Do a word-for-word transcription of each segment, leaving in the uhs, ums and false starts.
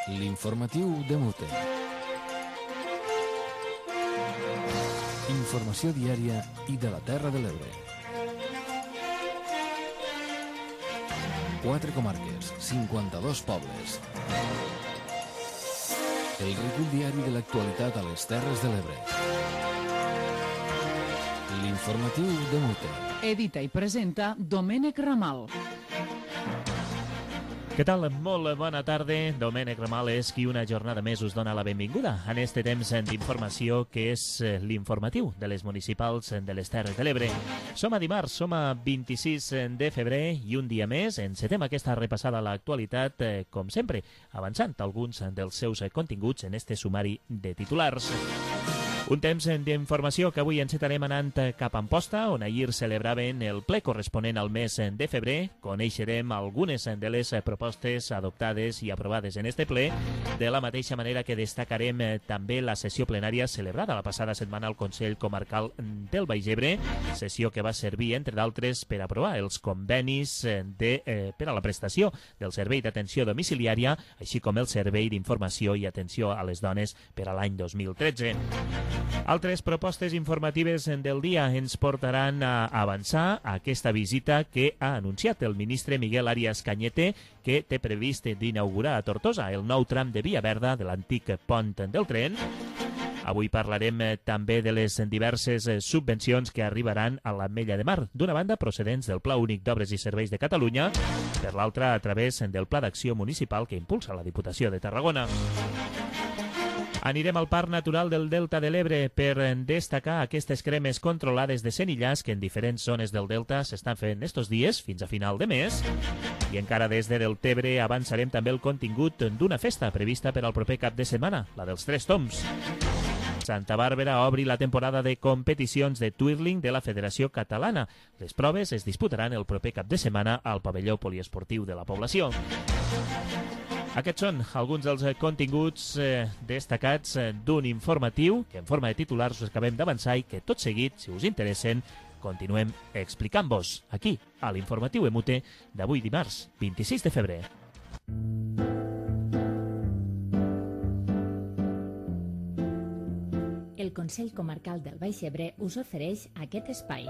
L'informatiu de Mute. Informació diària i de la Terra de l'Ebre. Quatre comarques, cinquanta-dos pobles. El recull diari de l'actualitat a les Terres de l'Ebre. L'informatiu de Mute. Edita i presenta Domènec Ramal. Què tal? Molt bona tarda. Domènec Ramal és qui una jornada més us dona la benvinguda en este temps d'informació que és l'informatiu de les municipals de les Terres de l'Ebre. Som a dimarts, som a vint-i-sis de febrer i un dia més encetem aquesta repassada a l'actualitat, com sempre, avançant alguns dels seus continguts en este sumari de titulars. Un temps d'informació que avui encetarem anant cap a Amposta, on ahir celebraven el ple corresponent al mes de febrer. Coneixerem algunes de les propostes adoptades i aprovades en este ple, de la mateixa manera que destacarem també la sessió plenària celebrada la passada setmana al Consell Comarcal del Baix Ebre, sessió que va servir, entre d'altres, per aprovar els convenis de, eh, per a la prestació del servei d'atenció domiciliària, així com el servei d'informació i atenció a les dones per a l'any dos mil tretze. Altres propostes informatives del dia ens portaran a avançar a aquesta visita que ha anunciat el ministre Miguel Arias Cañete, que té previst d'inaugurar a Tortosa el nou tram de Via Verda de l'antic pont del tren. Avui parlarem també de les diverses subvencions que arribaran a l'Ametlla de Mar, d'una banda procedents del Pla Únic d'Obres i Serveis de Catalunya, per l'altra a través del Pla d'Acció Municipal que impulsa la Diputació de Tarragona. Anirem al Parc Natural del Delta de l'Ebre per destacar aquestes cremes controlades de senillars que en diferents zones del Delta s'estan fent estos dies fins a final de mes. I encara des de Deltebre avançarem també el contingut d'una festa prevista per al proper cap de setmana, la dels Tres Tombs. Santa Bàrbara obri la temporada de competicions de twirling de la Federació Catalana. Les proves es disputaran el proper cap de setmana al pavelló poliesportiu de la població. Aquests són alguns dels continguts eh, destacats eh, d'un informatiu que en forma de titulars us acabem d'avançar i que tot seguit, si us interessen, continuem explicant-vos aquí, a l'informatiu Emute d'avui dimarts, vint-i-sis de febrer. El Consell Comarcal del Baix Ebre us ofereix aquest espai.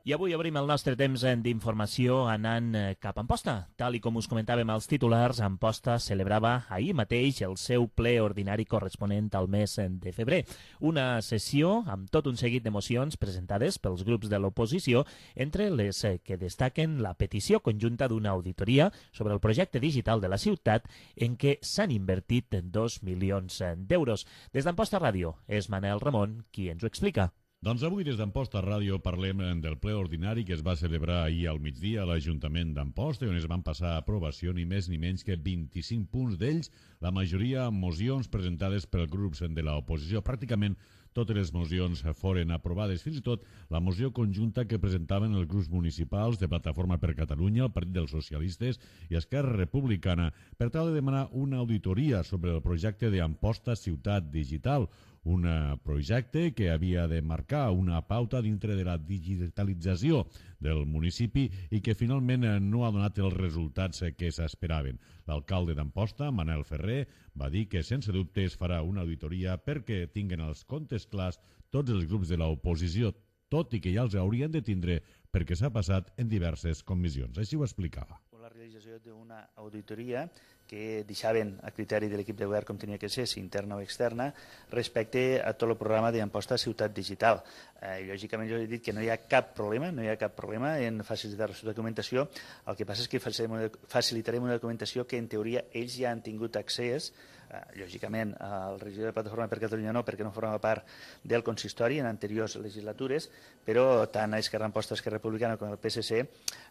I avui obrim el nostre temps d'informació anant cap a Amposta. Tal i com us comentàvem als titulars, Amposta celebrava ahir mateix el seu ple ordinari corresponent al mes de febrer. Una sessió amb tot un seguit d'emocions presentades pels grups de l'oposició, entre les que destaquen la petició conjunta d'una auditoria sobre el projecte digital de la ciutat en què s'han invertit dos milions d'euros. Des d'Amposta Ràdio és Manel Ramon qui ens ho explica. Doncs avui des d'Amposta Ràdio parlem del ple ordinari que es va celebrar ahir al migdia a l'Ajuntament d'Amposta, on es van passar a aprovació ni més ni menys que vint-i-cinc punts d'ells, la majoria mocions presentades pels grups de l'oposició. Pràcticament totes les mocions foren aprovades, fins i tot la moció conjunta que presentaven els grups municipals de Plataforma per Catalunya, el Partit dels Socialistes i Esquerra Republicana, per tal de demanar una auditoria sobre el projecte d'Amposta Ciutat Digital, un projecte que havia de marcar una pauta dintre de la digitalització del municipi i que finalment no ha donat els resultats que s'esperaven. L'alcalde d'Amposta, Manel Ferrer, va dir que sense dubte es farà una auditoria perquè tinguen els comptes clars tots els grups de l'oposició, tot i que ja els haurien de tindre perquè s'ha passat en diverses comissions. Així ho explicava. La realització d'una auditoria que deixaven a criteri de l'equip de govern com tenia que ser, si interna o externa, respecte a tot el programa d'Amposta Ciutat Digital. Eh, lògicament jo he dit que no hi ha cap problema, no hi ha cap problema en facilitar la documentació. El que passa és que facilitarem una documentació que en teoria ells ja han tingut accés. Eh, lògicament el regidor de Plataforma per Catalunya no, perquè no forma part del consistori en anteriors legislatures, però tant a Esquerra Amposta, Esquerra Republicana com al P S C,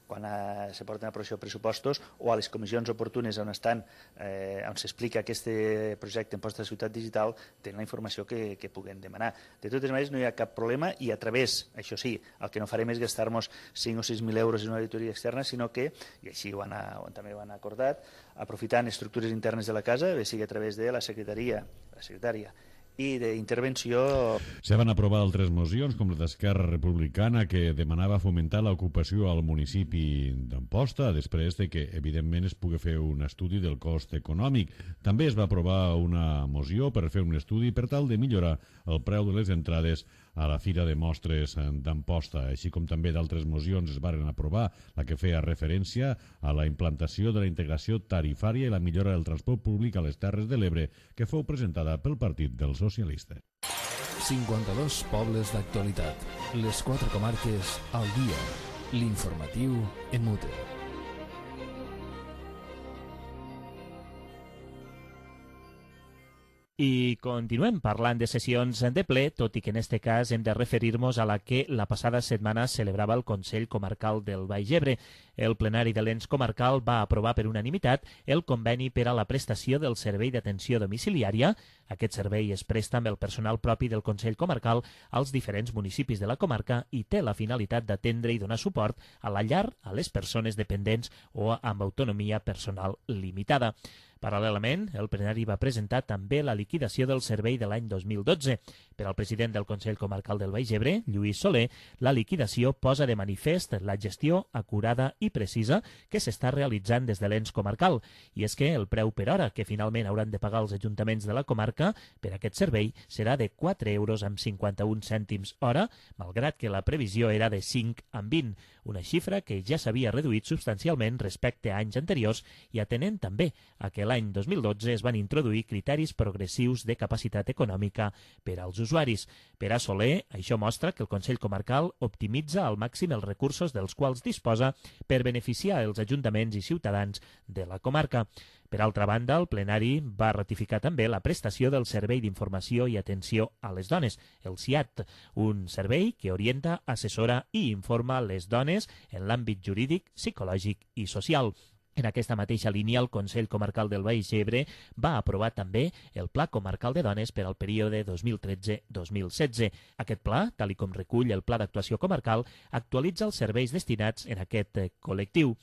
quan eh, se porten a aprovació pressupostos o a les comissions oportunes on estan, eh, on s'explica aquest projecte Amposta de Ciutat Digital, tenen la informació que, que puguen demanar. De totes maneres no hi ha cap problema i a través, això sí, el que no farem és gastar-nos cinc o sis mil euros en una auditoria externa, sinó que, i així ho han, també ho han acordat, aprofitant estructures internes de la casa, bé sigui a través de la secretaria, la secretària i d'intervenció. Se van aprovar altres mocions, com la d'Esquerra Republicana, que demanava fomentar l'ocupació al municipi d'Amposta, després de que, evidentment, es pugui fer un estudi del cost econòmic. També es va aprovar una moció per fer un estudi per tal de millorar el preu de les entrades a la Fira de Mostres d'Amposta, així com també d'altres mocions es varen aprovar, la que feia referència a la implantació de la integració tarifària i la millora del transport públic a les Terres de l'Ebre, que fou presentada pel Partit dels Socialistes. cinquanta-dos pobles d'actualitat. Les quatre comarques al dia. L'informatiu en Mute. I continuem parlant de sessions de ple, tot i que en este cas hem de referir-nos a la que la passada setmana celebrava el Consell Comarcal del Baix Ebre. El plenari de l'ens comarcal va aprovar per unanimitat el conveni per a la prestació del servei d'atenció domiciliària. Aquest servei es presta amb el personal propi del Consell Comarcal als diferents municipis de la comarca i té la finalitat d'atendre i donar suport a la llar a les persones dependents o amb autonomia personal limitada. Paral·lelament, el plenari va presentar també la liquidació del servei de l'any dos mil dotze. Per al president del Consell Comarcal del Baix Ebre, Lluís Soler, la liquidació posa de manifest la gestió acurada i precisa que s'està realitzant des de l'ens comarcal. I és que el preu per hora que finalment hauran de pagar els ajuntaments de la comarca per aquest servei serà de quatre euros amb cinquanta-un cèntims hora, malgrat que la previsió era de cinc amb vint, una xifra que ja s'havia reduït substancialment respecte a anys anteriors i atenent també a que l'any dos mil dotze es van introduir criteris progressius de capacitat econòmica per als usuaris. Per a Soler, això mostra que el Consell Comarcal optimitza al màxim els recursos dels quals disposa per beneficiar els ajuntaments i ciutadans de la comarca. Per altra banda, el plenari va ratificar també la prestació del Servei d'Informació i Atenció a les Dones, el S I A T, un servei que orienta, assessora i informa les dones en l'àmbit jurídic, psicològic i social. En aquesta mateixa línia, el Consell Comarcal del Baix Ebre va aprovar també el Pla Comarcal de Dones per al període dos mil tretze dos mil setze. Aquest pla, tal com recull el Pla d'Actuació Comarcal, actualitza els serveis destinats en aquest col·lectiu.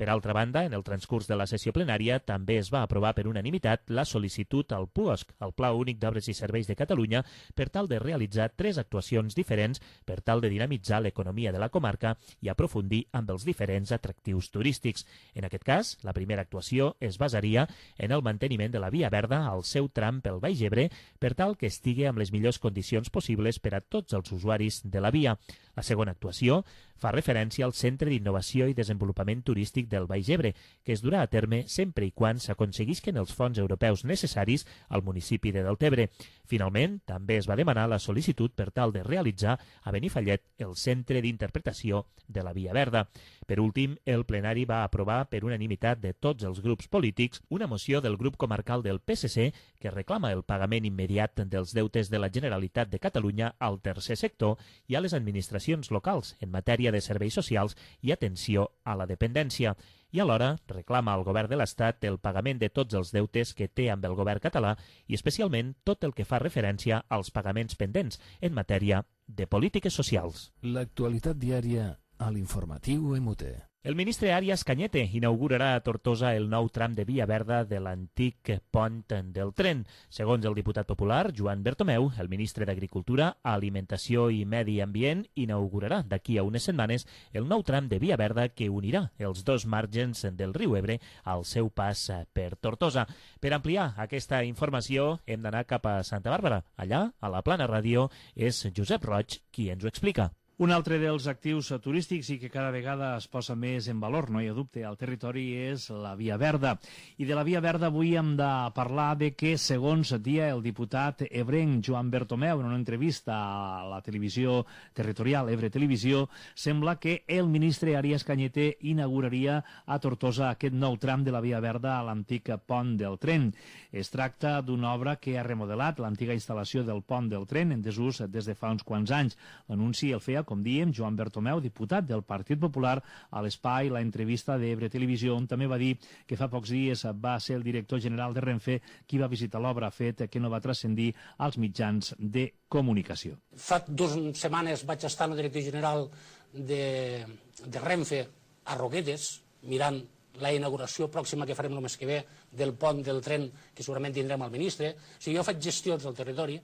Per altra banda, en el transcurs de la sessió plenària també es va aprovar per unanimitat la sol·licitud al P U O S C, el Pla Únic d'Obres i Serveis de Catalunya, per tal de realitzar tres actuacions diferents per tal de dinamitzar l'economia de la comarca i aprofundir amb els diferents atractius turístics. En aquest cas, la primera actuació es basaria en el manteniment de la Via Verda al seu tram pel Baix Ebre per tal que estigui amb les millors condicions possibles per a tots els usuaris de la via. La segona actuació fa referència al Centre d'Innovació i Desenvolupament Turístic del Baix Ebre, que es durà a terme sempre i quan s'aconseguisquen els fons europeus necessaris al municipi de Deltebre. Finalment, també es va demanar la sol·licitud per tal de realitzar a Benifallet el Centre d'Interpretació de la Via Verda. Per últim, el plenari va aprovar per unanimitat de tots els grups polítics una moció del grup comarcal del P S C que reclama el pagament immediat dels deutes de la Generalitat de Catalunya al tercer sector i a les administracions locals en matèria de serveis socials i atenció a la dependència. I alhora reclama al govern de l'Estat el pagament de tots els deutes que té amb el govern català i especialment tot el que fa referència als pagaments pendents en matèria de polítiques socials. L'actualitat diària a l'informatiu M U T. El ministre Arias Cañete inaugurarà a Tortosa el nou tram de Via Verda de l'antic pont del tren. Segons el diputat popular, Joan Bertomeu, el ministre d'Agricultura, Alimentació i Medi Ambient inaugurarà d'aquí a unes setmanes el nou tram de Via Verda que unirà els dos margens del riu Ebre al seu pas per Tortosa. Per ampliar aquesta informació hem d'anar cap a Santa Bàrbara. Allà, a la Plana Ràdio, és Josep Roig qui ens ho explica. Un altre dels actius turístics i que cada vegada es posa més en valor, no hi ha dubte, al territori és la Via Verda. I de la Via Verda avui hem de parlar de que, segons dia el diputat ebrenc Joan Bertomeu en una entrevista a la televisió territorial Ebre Televisió, sembla que el ministre Arias Cañete inauguraria a Tortosa aquest nou tram de la Via Verda a l'antic pont del tren. Es tracta d'una obra que ha remodelat l'antiga instal·lació del pont del tren en desús des de fa uns quants anys. L'anunci el feia, com diem, Joan Bertomeu, diputat del Partit Popular, a l'espai La Entrevista d'Ebre Televisió, on també va dir que fa pocs dies va ser el director general de Renfe qui va visitar l'obra, fet que no va transcendir als mitjans de comunicació. Fa dues setmanes vaig estar en el director general de, de Renfe a Roquetes, mirant la inauguració pròxima que farem el mes que ve del pont del tren, que segurament tindrem al ministre. O sigui, jo faig gestions del territori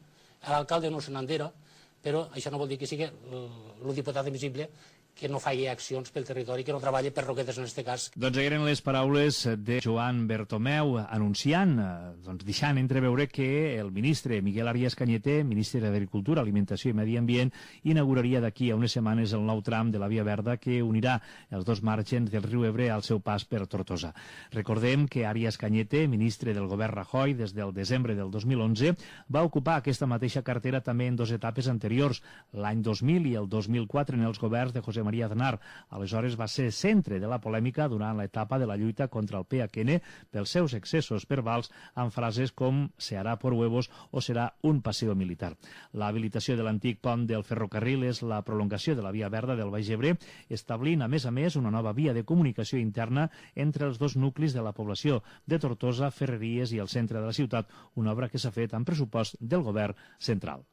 l'alcalde no se n'endera, però això no vol dir que sigui el diputat invisible que no faci accions pel territori, que no treballi per Roquetes en aquest cas. Doncs eren les paraules de Joan Bertomeu anunciant, doncs deixant entreveure que el ministre Miguel Arias Cañete, ministre d'Agricultura, Alimentació i Medi Ambient, inauguraria d'aquí a unes setmanes el nou tram de la Via Verda que unirà els dos margens del riu Ebre al seu pas per Tortosa. Recordem que Arias Cañete, ministre del govern Rajoy des del desembre del dos mil onze, va ocupar aquesta mateixa cartera també en dues etapes anteriors, l'any dos mil i el dos mil quatre en els governs de José María Aznar. Aleshores va ser centre de la polèmica durant l'etapa de la lluita contra el P H N pels seus excessos verbals amb frases com «se hará por huevos» o «serà un paseo militar». L'habilitació de l'antic pont del ferrocarril és la prolongació de la Via Verda del Baix Ebre, establint, a més a més, una nova via de comunicació interna entre els dos nuclis de la població de Tortosa, Ferreries i el centre de la ciutat, una obra que s'ha fet amb pressupost del govern central.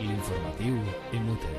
L'informatiu en Mute.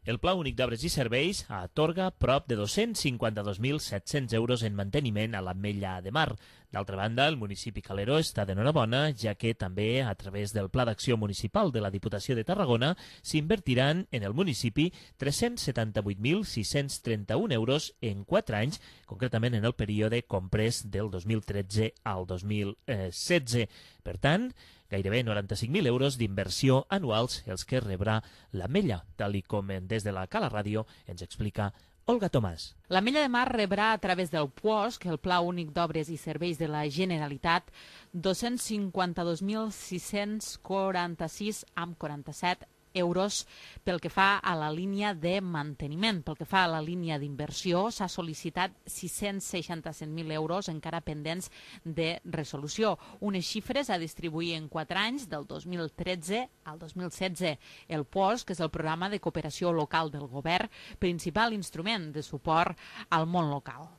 El Pla Únic d'Obres i Serveis atorga prop de dos-cents cinquanta-dos mil set-cents euros en manteniment a l'Ametlla de Mar. D'altra banda, el municipi Calero està d'enhorabona, ja que també, a través del Pla d'Acció Municipal de la Diputació de Tarragona, s'invertiran en el municipi tres-cents setanta-vuit mil sis-cents trenta-un euros en quatre anys, concretament en el període comprès del dos mil tretze al dos mil setze. Per tant, gairebé noranta-cinc mil euros d'inversió anuals els que rebrà l'Ametlla, tal i com des de la Cala Ràdio ens explica Olga Tomàs. L'Ametlla de Mar rebrà a través del P U O S C, el Pla Únic d'Obres i Serveis de la Generalitat, dos-cents cinquanta-dos mil sis-cents quaranta-sis amb quaranta-set euros pel que fa a la línia de manteniment. Pel que fa a la línia d'inversió, s'ha sol·licitat sis-cents seixanta-set mil euros encara pendents de resolució. Unes xifres a distribuir en quatre anys, del dos mil tretze al dos mil setze. El P U O S C, que és el programa de cooperació local del govern, principal instrument de suport al món local.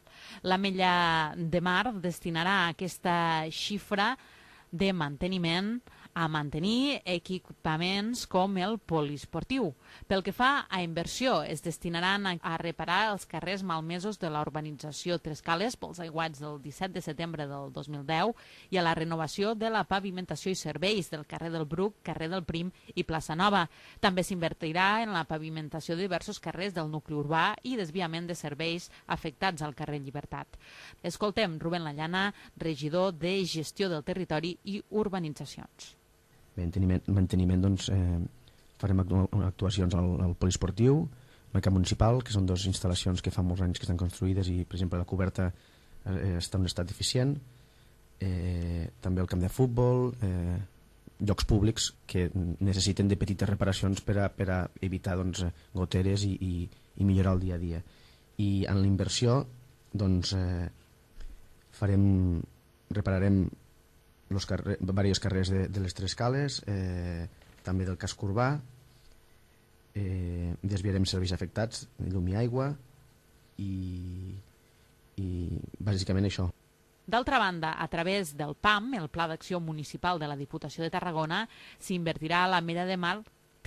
L'Ametlla de Mar destinarà aquesta xifra de manteniment a mantenir equipaments com el poliesportiu. Pel que fa a inversió, es destinaran a reparar els carrers malmesos de la urbanització Tres Cales pels aiguats del disset de setembre del dos mil deu i a la renovació de la pavimentació i serveis del carrer del Bruc, carrer del Prim i plaça Nova. També s'invertirà en la pavimentació de diversos carrers del nucli urbà i desviament de serveis afectats al carrer Llibertat. Escoltem Rubén Lallana, regidor de Gestió del Territori i Urbanitzacions. Manteniment, manteniment doncs, eh, farem actuacions al, al poliesportiu, al camp municipal, que són dues instal·lacions que fa molts anys que estan construïdes i, per exemple, la coberta eh, està en un estat eficient, eh, també el camp de futbol, eh, llocs públics que necessiten de petites reparacions per a, per a evitar doncs, goteres i, i, i millorar el dia a dia. I en la inversió doncs, eh, farem, repararem los carrer, diversos carrers de, de les Tres Cales, eh, també del casc urbà, eh, desviarem serveis afectats, llum i aigua i, i bàsicament això. D'altra banda, a través del P A M, el Pla d'Acció Municipal de la Diputació de Tarragona, s'invertirà a l'Ametlla de Mar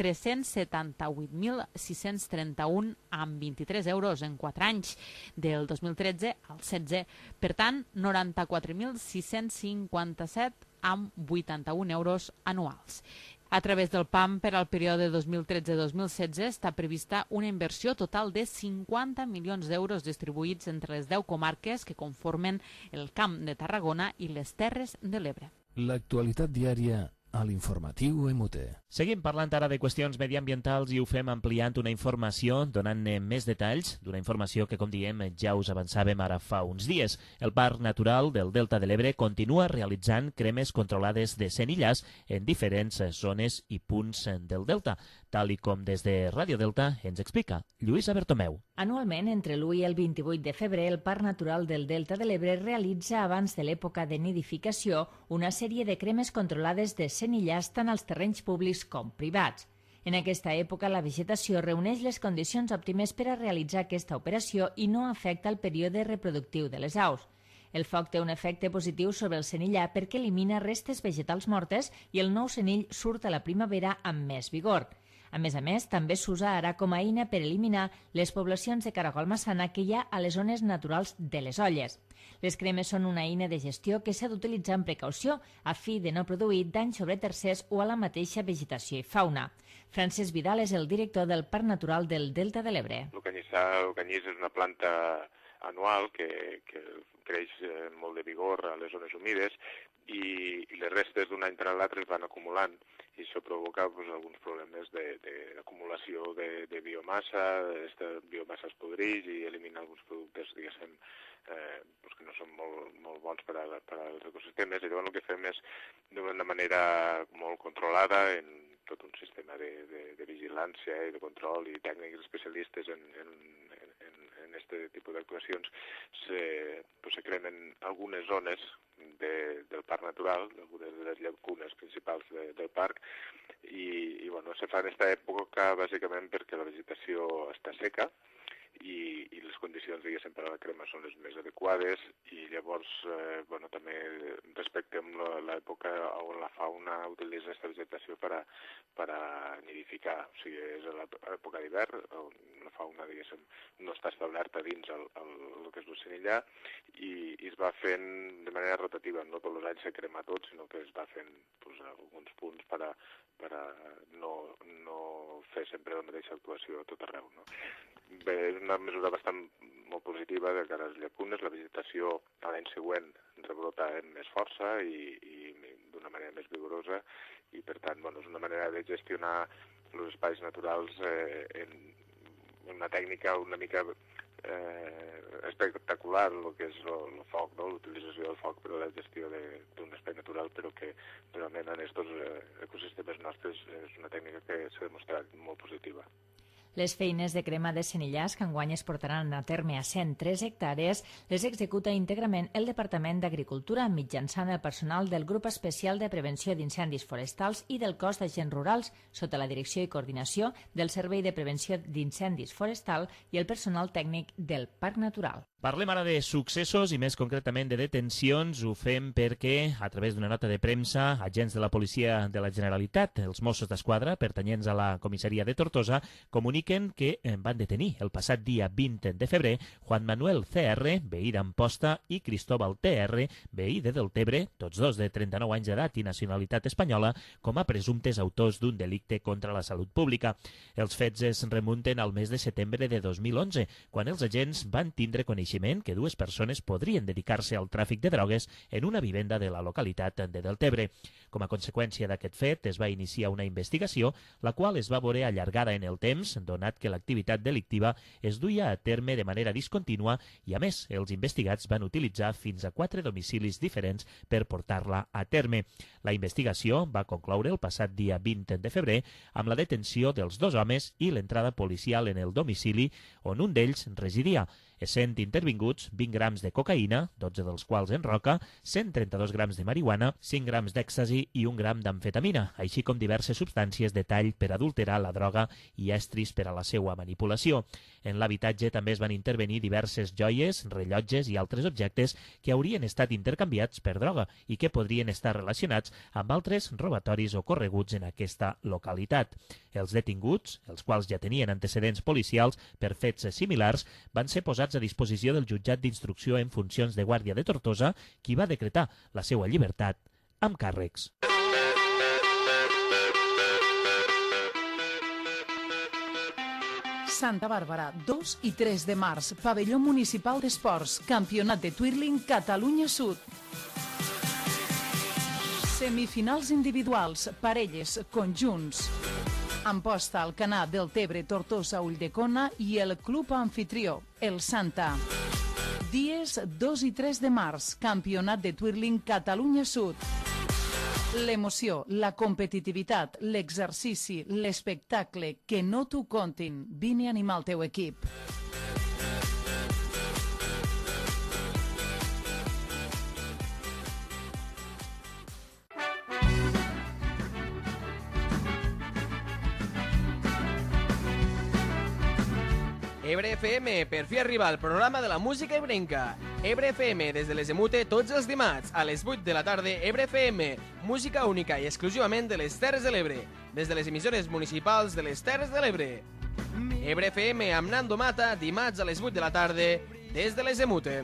tres-cents setanta-vuit mil sis-cents trenta-un amb vint-i-tres euros en quatre anys, del dos mil tretze al setze. Per tant, noranta-quatre mil sis-cents cinquanta-set amb vuitanta-un euros anuals. A través del P A M, per al període dos mil tretze dos mil setze, està prevista una inversió total de cinquanta milions d'euros distribuïts entre les deu comarques que conformen el Camp de Tarragona i les Terres de l'Ebre. L'actualitat diària a l'informatiu M U T. Seguim parlant ara de qüestions mediambientals i ho fem ampliant una informació, donant-ne més detalls d'una informació que, com diem, ja us avançàvem ara fa uns dies. El Parc Natural del Delta de l'Ebre continua realitzant cremes controlades de senillars en diferents zones i punts del Delta, tal i com des de Ràdio Delta ens explica Lluïsa Bertomeu. Anualment, entre l'u i el vint-i-vuit de febrer, el Parc Natural del Delta de l'Ebre realitza, abans de l'època de nidificació, una sèrie de cremes controlades de senillars tant als terrenys públics com privats. En aquesta època, la vegetació reuneix les condicions òptimes per a realitzar aquesta operació i no afecta el període reproductiu de les aus. El foc té un efecte positiu sobre el senillar perquè elimina restes vegetals mortes i el nou senill surt a la primavera amb més vigor. A més a més, també s'usa ara com a eina per eliminar les poblacions de caragol massana que hi ha a les zones naturals de les olles. Les cremes són una eina de gestió que s'ha d'utilitzar amb precaució a fi de no produir danys sobre tercers o a la mateixa vegetació i fauna. Francesc Vidal és el director del Parc Natural del Delta de l'Ebre. El canyissà, el canyís és una planta anual que, que creix molt de vigor a les zones humides i, i les restes d'un any per l'altre es van acumulant i això provoca pues, alguns problemes d'acumulació de, de, de biomassa, aquesta biomassa es podreix i elimina alguns productes, diguéssim, eh, pues, que no són molt, molt bons per, a, per als ecosistemes i llavors el que fem és d'una manera molt controlada en tot un sistema de, de, de vigilància i de control i tècnics especialistes en, en, en, en este tipus d'actuacions se, pues, se cremen algunes zones de, del parc natural, algunes de les llacunes principals de, del parc i, i bueno, se fa en aquesta època bàsicament perquè la vegetació està seca i, i les condicions, diguéssim, per a la crema són les més adequades i llavors, eh, bueno, també respectem l'època on la fauna utilitza aquesta vegetació per a, per a nidificar, o sigui, és a l'època d'hivern on la fauna, diguéssim, no està establerta dins el, el, el que és l'ocenillà i, i es va fent de manera rotativa, no tots els anys se crema tot, sinó que es va fent pues, alguns punts per a, per a no, no fer sempre la mateixa actuació a tot arreu, no? Bé, és una mesura bastant molt positiva de cara a les llacunes. La vegetació a l'any següent rebrota amb més força i, i d'una manera més vigorosa i, per tant, bueno, és una manera de gestionar els espais naturals eh, en una tècnica una mica eh, espectacular, el que és el foc, no? L'utilització del foc per a la gestió d'un espai natural, però que realment en aquests eh, ecosistemes nostres és una tècnica que s'ha demostrat molt positiva. Les feines de crema de senillars que enguany es portaran a terme a cent tres hectàrees les executa íntegrament el Departament d'Agricultura mitjançant el personal del Grup Especial de Prevenció d'Incendis Forestals i del Cos d'Agents Rurals sota la direcció i coordinació del Servei de Prevenció d'Incendis Forestal i el personal tècnic del Parc Natural. Parlem ara de successos i més concretament de detencions. Ho fem perquè, a través d'una nota de premsa, agents de la Policia de la Generalitat, els Mossos d'Esquadra, pertanyents a la comissaria de Tortosa, comuniquen que van detenir el passat dia vint de febrer Juan Manuel C R, veí d'Amposta, i Cristóbal T R, veí de Deltebre, tots dos de trenta-nou anys d'edat i nacionalitat espanyola, com a presumptes autors d'un delicte contra la salut pública. Els fets es remunten al mes de setembre de dos mil onze, quan els agents van tindre coneixement que dues persones podrien dedicar-se al tràfic de drogues en una vivenda de la localitat de Deltebre. Com a conseqüència d'aquest fet, es va iniciar una investigació, la qual es va veure allargada en el temps, donat que l'activitat delictiva es duia a terme de manera discontínua i, a més, els investigats van utilitzar fins a quatre domicilis diferents per portar-la a terme. La investigació va concloure el passat dia vint de febrer amb la detenció dels dos homes i l'entrada policial en el domicili on un d'ells residia, essent intervinguts vint grams de cocaïna, dotze dels quals en roca, cent trenta-dos grams de marihuana, cinc grams d'èxtasi i un gram d'amfetamina, així com diverses substàncies de tall per adulterar la droga i estris per a la seva manipulació. En l'habitatge també es van intervenir diverses joies, rellotges i altres objectes que haurien estat intercanviats per droga i que podrien estar relacionats amb altres robatoris ocorreguts en aquesta localitat. Els detinguts, els quals ja tenien antecedents policials per fets similars, van ser posats a disposició del jutjat d'instrucció en funcions de Guàrdia de Tortosa, qui va decretar la seva llibertat amb càrrecs. Santa Bàrbara, dos i tres de març, Pavelló Municipal d'Esports, Campionat de Twirling Catalunya Sud. Semifinals individuals, parelles, conjunts. Amposta, Alcanar, Deltebre, Tortosa, Ulldecona i el club anfitrió, el Santa. Dies dos i tres de març, Campionat de Twirling Catalunya Sud. L'emoció, la competitivitat, l'exercici, l'espectacle, que no t'ho contin. Vine a animar el teu equip. Ebre F M, per fi arriba el programa de la música ebrenca. Ebre F M, des de les Emute, tots els dimarts, a les vuit de la tarda, Ebre F M, música única i exclusivament de les Terres de l'Ebre, des de les emissores municipals de les Terres de l'Ebre. Ebre F M amb Nando Mata, dimarts a les vuit de la tarda, des de les Emute.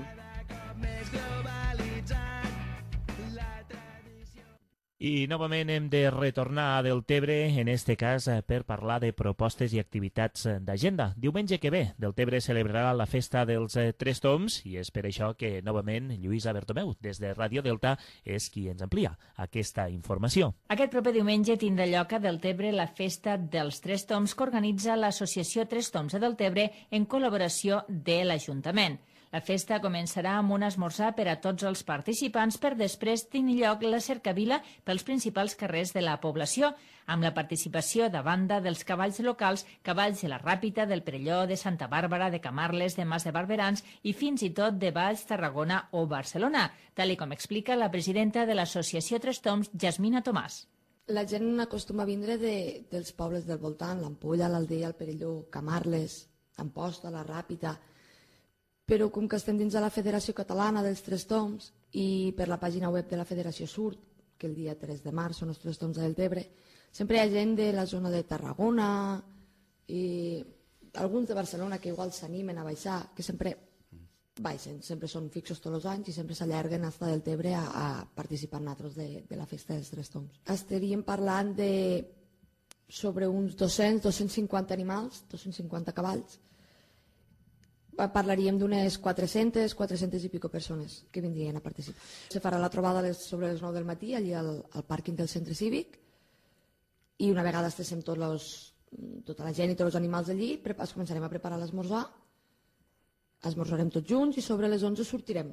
I novament hem de retornar a Deltebre, en este cas per parlar de propostes i activitats d'agenda. Diumenge que ve, Deltebre celebrarà la festa dels Tres Tombs i és per això que novament Lluïsa Bertomeu, des de Ràdio Delta, és qui ens amplia aquesta informació. Aquest proper diumenge tindrà lloc a Deltebre la festa dels Tres Tombs que organitza l'Associació Tres Tombs de Deltebre en col·laboració de l'Ajuntament. La festa començarà amb un esmorzar per a tots els participants per després tenir lloc la cercavila pels principals carrers de la població, amb la participació de banda dels cavalls locals, cavalls de la Ràpita, del Perelló, de Santa Bàrbara, de Camarles, de Mas de Barberans i fins i tot de Valls, Tarragona o Barcelona, tal com explica la presidenta de l'Associació Tres Tombs, Jasmina Tomàs. La gent acostuma a vindre de, dels pobles del voltant, l'Ampolla, l'Aldea, el Perelló, Camarles, Amposta, la Ràpita, però com que estem dins de la Federació Catalana dels Tres Tombs i per la pàgina web de la Federació surt que el dia tres de març són els Tres Tombs de Deltebre, sempre hi ha gent de la zona de Tarragona i alguns de Barcelona que igual s'animen a baixar, que sempre baixen, sempre són fixos tots els anys i sempre s'allarguen fins a Deltebre a, a participar nosaltres de, de la festa dels Tres Tombs. Estaríem parlant de sobre uns dos-cents a dos-cents cinquanta animals, dos-cents cinquanta cavalls. Parlaríem d'unes quatre-centes, quatre-centes i pico persones que vindrien a participar. Se farà la trobada les, sobre les nou del matí allà al, al pàrquing del centre cívic i una vegada estiguem tots los, tota la gent i tots els animals allí, es començarem a preparar l'esmorzar, esmorzarem tots junts i sobre les onze sortirem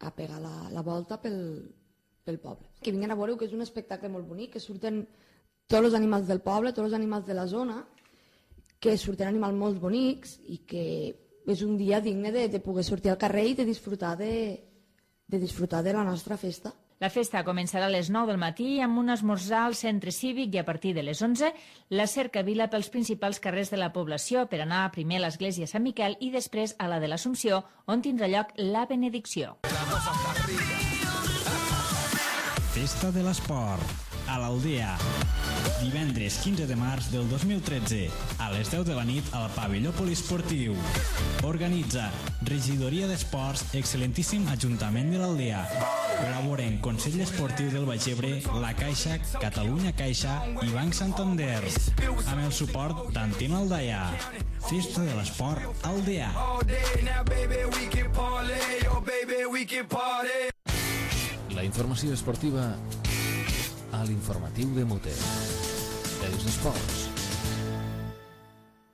a pegar la, la volta pel, pel poble. Que vinguin a veure que és un espectacle molt bonic, que surten tots els animals del poble, tots els animals de la zona, que surten animals molt bonics i que és un dia digne de, de poder sortir al carrer i de disfrutar de, de disfrutar de la nostra festa. La festa començarà a les nou del matí amb un esmorzar al centre cívic i a partir de les onze la cercavila pels principals carrers de la població per anar primer a l'església Sant Miquel i després a la de l'Assumpció, on tindrà lloc la benedicció. Festa de l'Esport, a l'Aldea. Divendres quinze de març del dos mil tretze, a les deu de la nit al pavelló poliesportiu. Organitza Regidoria d'Esports, excel·lentíssim Ajuntament de l'Aldea. Col·laboren Consell Esportiu del Baix Ebre, La Caixa, Catalunya Caixa i Banc Santander. Amb el suport d'Antena Aldaia. Festa de l'Esport Aldea. La informació esportiva a l'informatiu de Mute. Els esports.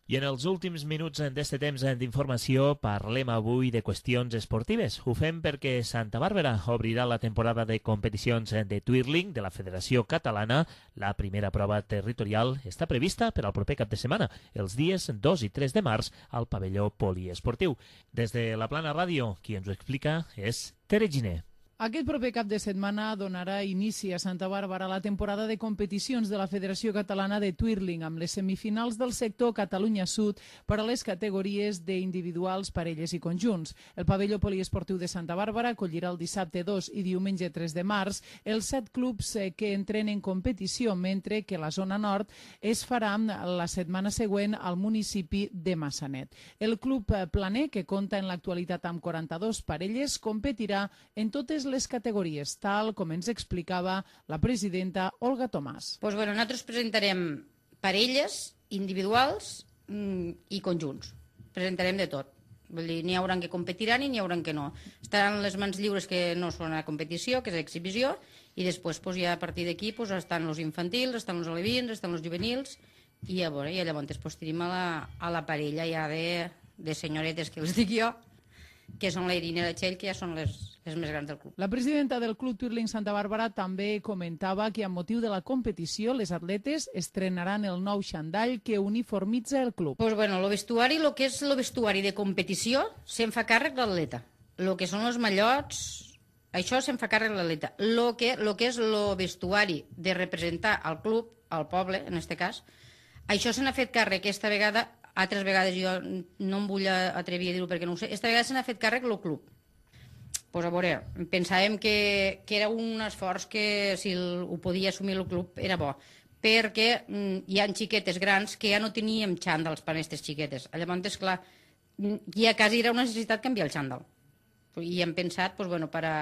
I en els últims minuts d'este temps d'informació parlem avui de qüestions esportives. Ho fem perquè Santa Bàrbara obrirà la temporada de competicions de twirling de la Federació Catalana. La primera prova territorial està prevista per al proper cap de setmana, els dies dos i tres de març, al pavelló poliesportiu. Des de la Plana Ràdio, qui ens ho explica és Tere Giner. Aquest proper cap de setmana donarà inici a Santa Bàrbara la temporada de competicions de la Federació Catalana de Twirling amb les semifinals del sector Catalunya Sud per a les categories d'individuals, parelles i conjunts. El pavelló poliesportiu de Santa Bàrbara acollirà el dissabte dos i diumenge tres de març els set clubs que entren en competició, mentre que la zona nord es farà la setmana següent al municipi de Massanet. El club planer, que compta en l'actualitat amb quaranta-dues parelles, competirà en totes les categories, tal com ens explicava la presidenta Olga Tomàs. Pues bueno, nosaltres presentarem parelles, individuals mmm, i conjunts. Presentarem de tot. Vull dir, n'hi haurà que competiran i n'hi haurà que no. Estaran les mans lliures que no són a competició, que és a exhibició, i després pues, ja a partir d'aquí pues, estan els infantils, estan els alevins, estan els juvenils, i, a veure, i llavors pues, tenim a la, a la parella ja de, de senyoretes que els dic jo, que són la Irina i la Txell, que ja són les, les més grans del club. La presidenta del Club Twirling Santa Bàrbara també comentava que amb motiu de la competició les atletes estrenaran el nou xandall que uniformitza el club. Pues bueno, el vestuari, el que és el vestuari de competició, se'n fa càrrec l'atleta. El que són els mallots, això se'n fa càrrec l'atleta. El que, lo que és el vestuari de representar al club, al poble, en aquest cas, això se n'ha fet càrrec aquesta vegada. Altres vegades jo no em vull atrevir a dir-ho perquè no ho sé. Esta vegada se n'ha fet càrrec el club. Pues a veure, pensàvem que, que era un esforç que si el, ho podia assumir el club era bo, perquè mm, hi ha xiquetes grans que ja no teníem xàndals per a aquestes xiquetes. Llavors, esclar, ja quasi era una necessitat canviar el xàndal. I hem pensat, pues, bueno, per a,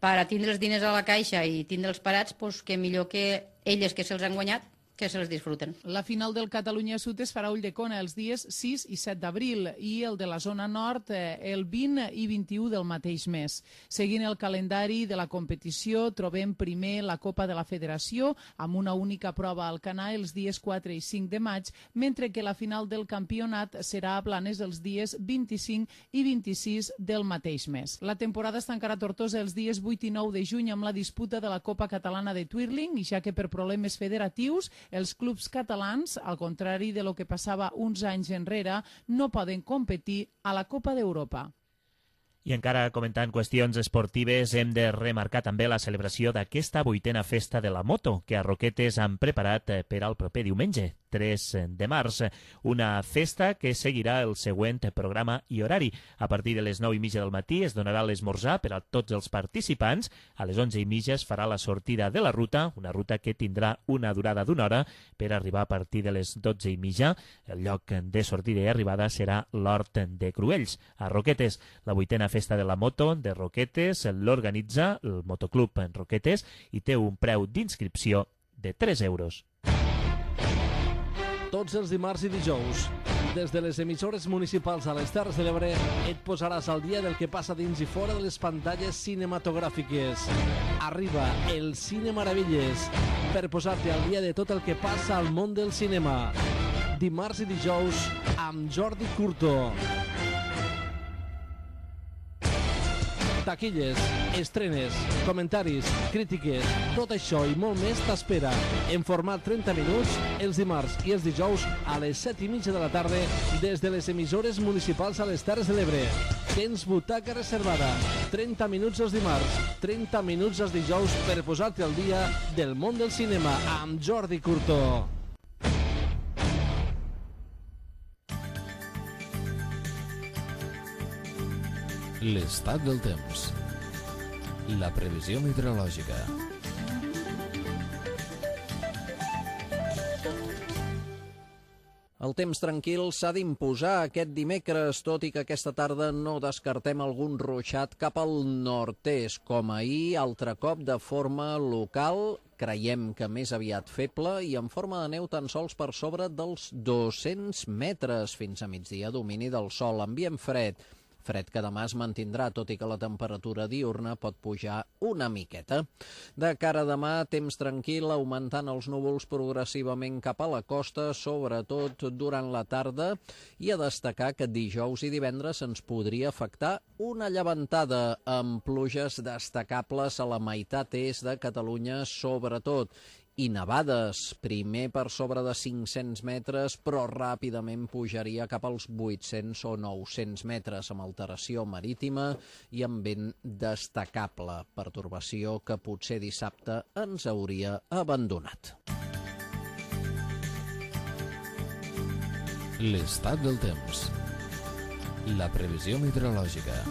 per a tindre els diners a la caixa i tindre'ls parats, doncs que millor que elles que se'ls han guanyat, que se'ls disfruten. La final del Catalunya Sud es farà a Ulldecona els dies sis i set d'abril i el de la zona nord el vint i vint-i-u del mateix mes. Seguint el calendari de la competició, trobem primer la Copa de la Federació amb una única prova al Canà els dies quatre i cinc de maig, mentre que la final del campionat serà a Blanes els dies vint-i-cinc i vint-i-sis del mateix mes. La temporada es tancarà a Tortosa els dies vuit i nou de juny amb la disputa de la Copa Catalana de Twirling, i ja que per problemes federatius els clubs catalans, al contrari de lo que passava uns anys enrere, no poden competir a la Copa d'Europa. I encara comentant qüestions esportives, hem de remarcar també la celebració d'aquesta vuitena festa de la moto que a Roquetes han preparat per al proper diumenge, tres de març. Una festa que seguirà el següent programa i horari. A partir de les nou i mitja del matí es donarà l'esmorzar per a tots els participants. A les onze i mitja es farà la sortida de la ruta, una ruta que tindrà una durada d'una hora per arribar a partir de les dotze i mitja. El lloc de sortida i arribada serà l'Hort de Cruells, a Roquetes. La vuitena festa de la moto de Roquetes l'organitza el Motoclub Roquetes i té un preu d'inscripció de tres euros. Tots els dimarts i dijous, des de les emissores municipals a les Terres de l'Ebre, et posaràs al dia del que passa dins i fora de les pantalles cinematogràfiques. Arriba el Cine Meravelles per posar-te al dia de tot el que passa al món del cinema. Dimarts i dijous amb Jordi Curto. Taquilles, estrenes, comentaris, crítiques, tot això i molt més t'espera en format trenta minuts els dimarts i els dijous a les set i mitja de la tarda des de les emissores municipals a les Terres de l'Ebre. Tens butaca reservada, trenta minuts els dimarts, trenta minuts els dijous per posar-te al dia del món del cinema amb Jordi Curto. L'estat del temps. La previsió meteorològica. El temps tranquil s'ha d'imposar aquest dimecres, tot i que aquesta tarda no descartem algun ruixat cap al nord-est, com ahir, altre cop de forma local, creiem que més aviat feble i en forma de neu tan sols per sobre dels dos-cents metres. Fins a migdia, domini del sol, ambient fred. Fred que demà es mantindrà, tot i que la temperatura diurna pot pujar una miqueta. De cara a demà, temps tranquil, augmentant els núvols progressivament cap a la costa, sobretot durant la tarda, i a destacar que dijous i divendres ens podria afectar una llevantada amb pluges destacables a la meitat est de Catalunya, sobretot, i nevades, primer per sobre de cinc-cents metres, però ràpidament pujaria cap als vuit-cents o nou-cents metres, amb alteració marítima i amb vent destacable, pertorbació que potser dissabte ens hauria abandonat. L'estat del temps. La previsió meteorològica.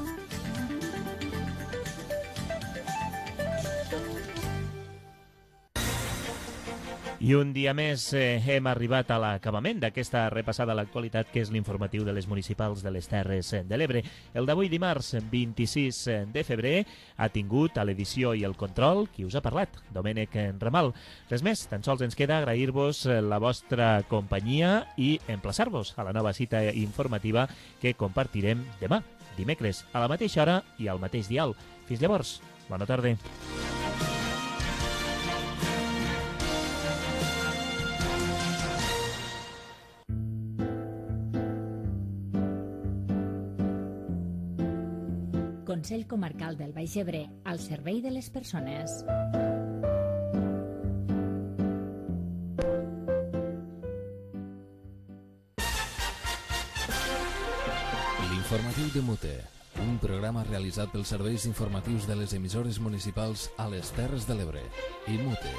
I un dia més eh, hem arribat a l'acabament d'aquesta repassada a l'actualitat, que és l'informatiu de les municipals de les Terres de l'Ebre. El d'avui dimarts, vint-i-sis de febrer, ha tingut a l'edició i el control qui us ha parlat, Domènec Ramal. Res més, tan sols ens queda agrair-vos la vostra companyia i emplaçar-vos a la nova cita informativa que compartirem demà, dimecres, a la mateixa hora i al mateix dial. Fins llavors, bona tarda. Consell Comarcal del Baix Ebre, al servei de les persones. L'informatiu de Mute, un programa realitzat pels serveis informatius de les emissores municipals a les Terres de l'Ebre i Mute.